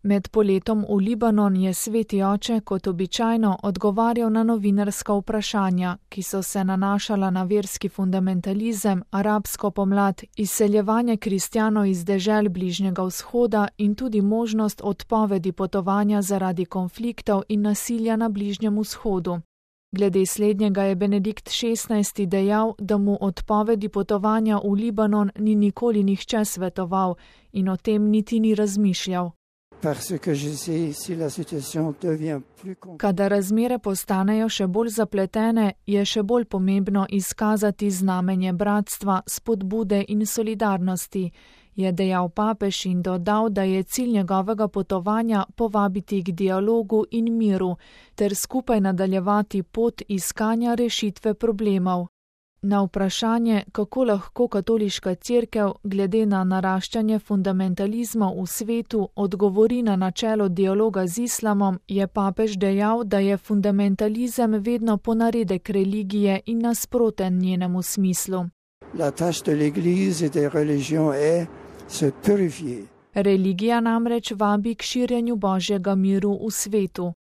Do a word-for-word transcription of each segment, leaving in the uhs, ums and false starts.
Med poletom v Libanon je sveti oče kot običajno odgovarjal na novinarska vprašanja, ki so se nanašala na verski fundamentalizem, arabsko pomlad, izseljevanje kristjanov iz dežel Bližnjega vzhoda in tudi možnost odpovedi potovanja zaradi konfliktov in nasilja na Bližnjem vzhodu. Glede slednjega je Benedikt šestnajsti dejal, da mu odpovedi potovanja v Libanon ni nikoli nihče svetoval in o tem niti ni razmišljal. Kadar razmere postanejo še bolj zapletene, je še bolj pomembno izkazati znamenje bratstva, spodbude in solidarnosti, je dejal papež in dodal, da je cilj njegovega potovanja povabiti k dialogu in miru ter skupaj nadaljevati pot iskanja rešitve problemov. Na vprašanje, kako lahko katoliška cerkev glede na naraščanje fundamentalizma v svetu odgovori na načelo dialoga z islamom, je papež dejal, da je fundamentalizem vedno ponaredek religije in nasproten njenemu smislu. Religija namreč vabi k širjenju Božjega miru v svetu.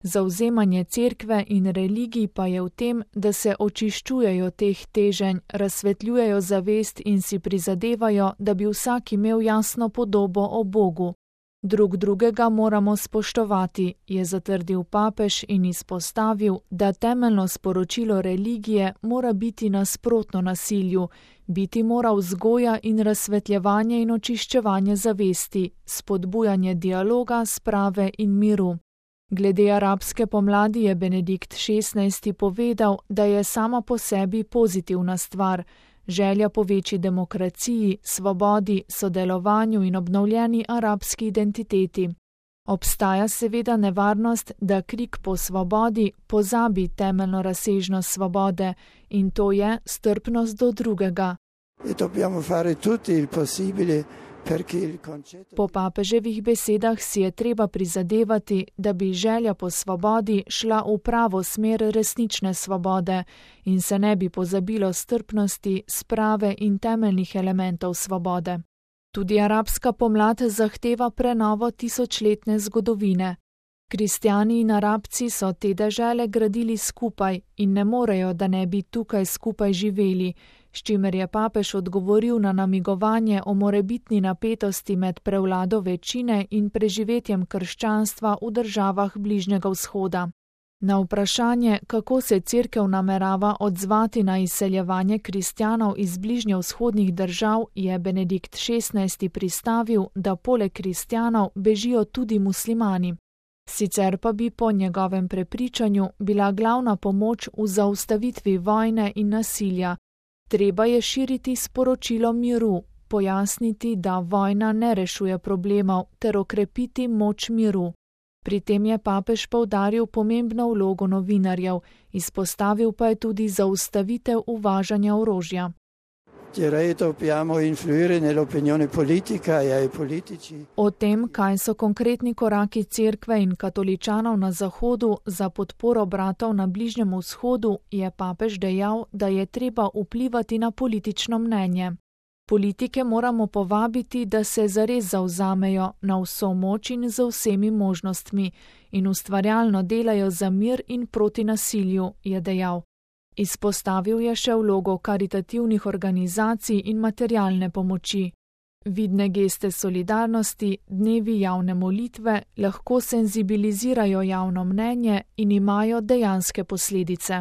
Zavzemanje cerkve in religij pa je v tem, da se očiščujejo teh teženj, razsvetljujejo zavest in si prizadevajo, da bi vsak imel jasno podobo o Bogu. Drug drugega moramo spoštovati, je zatrdil papež in izpostavil, da temeljno sporočilo religije mora biti nasprotno nasilju, biti mora vzgoja in razsvetljevanje in očiščevanje zavesti, spodbujanje dialoga, sprave in miru. Glede arabske pomladi je Benedikt šestnajsti povedal, da je sama po sebi pozitivna stvar, želja po večji demokraciji, svobodi, sodelovanju in obnovljeni arabski identiteti. Obstaja seveda nevarnost, da krik po svobodi pozabi temeljno razsežnost svobode in to je strpnost do drugega. Po papeževih besedah si je treba prizadevati, da bi želja po svobodi šla v pravo smer resnične svobode in se ne bi pozabilo strpnosti, sprave in temeljnih elementov svobode. Tudi arabska pomlad zahteva prenovo tisočletne zgodovine. Kristjani in Arabci so te dežele gradili skupaj in ne morejo, da ne bi tukaj skupaj živeli, s čimer je papež odgovoril na namigovanje o morebitni napetosti med prevlado večine in preživetjem krščanstva v državah Bližnjega vzhoda. Na vprašanje, kako se cerkev namerava odzvati na izseljevanje kristjanov iz bližnjevzhodnih držav, je Benedikt šestnajsti pristavil, da poleg kristjanov bežijo tudi muslimani. Sicer pa bi po njegovem prepričanju bila glavna pomoč v zaustavitvi vojne in nasilja. Treba je širiti sporočilo miru, pojasniti, da vojna ne rešuje problemov, ter okrepiti moč miru. Pri tem je papež poudaril pomembno vlogo novinarjev, izpostavil pa je tudi zaustavitev uvažanja orožja. O tem, kaj so konkretni koraki cerkve in katoličanov na Zahodu za podporo bratov na Bližnjem vzhodu, je papež dejal, da je treba vplivati na politično mnenje. Politike moramo povabiti, da se zares zavzamejo na vso moč in z vsemi možnostmi in ustvarjalno delajo za mir in proti nasilju, je dejal. Izpostavil je še vlogo karitativnih organizacij in materialne pomoči. Vidne geste solidarnosti, dnevi javne molitve lahko senzibilizirajo javno mnenje in imajo dejanske posledice.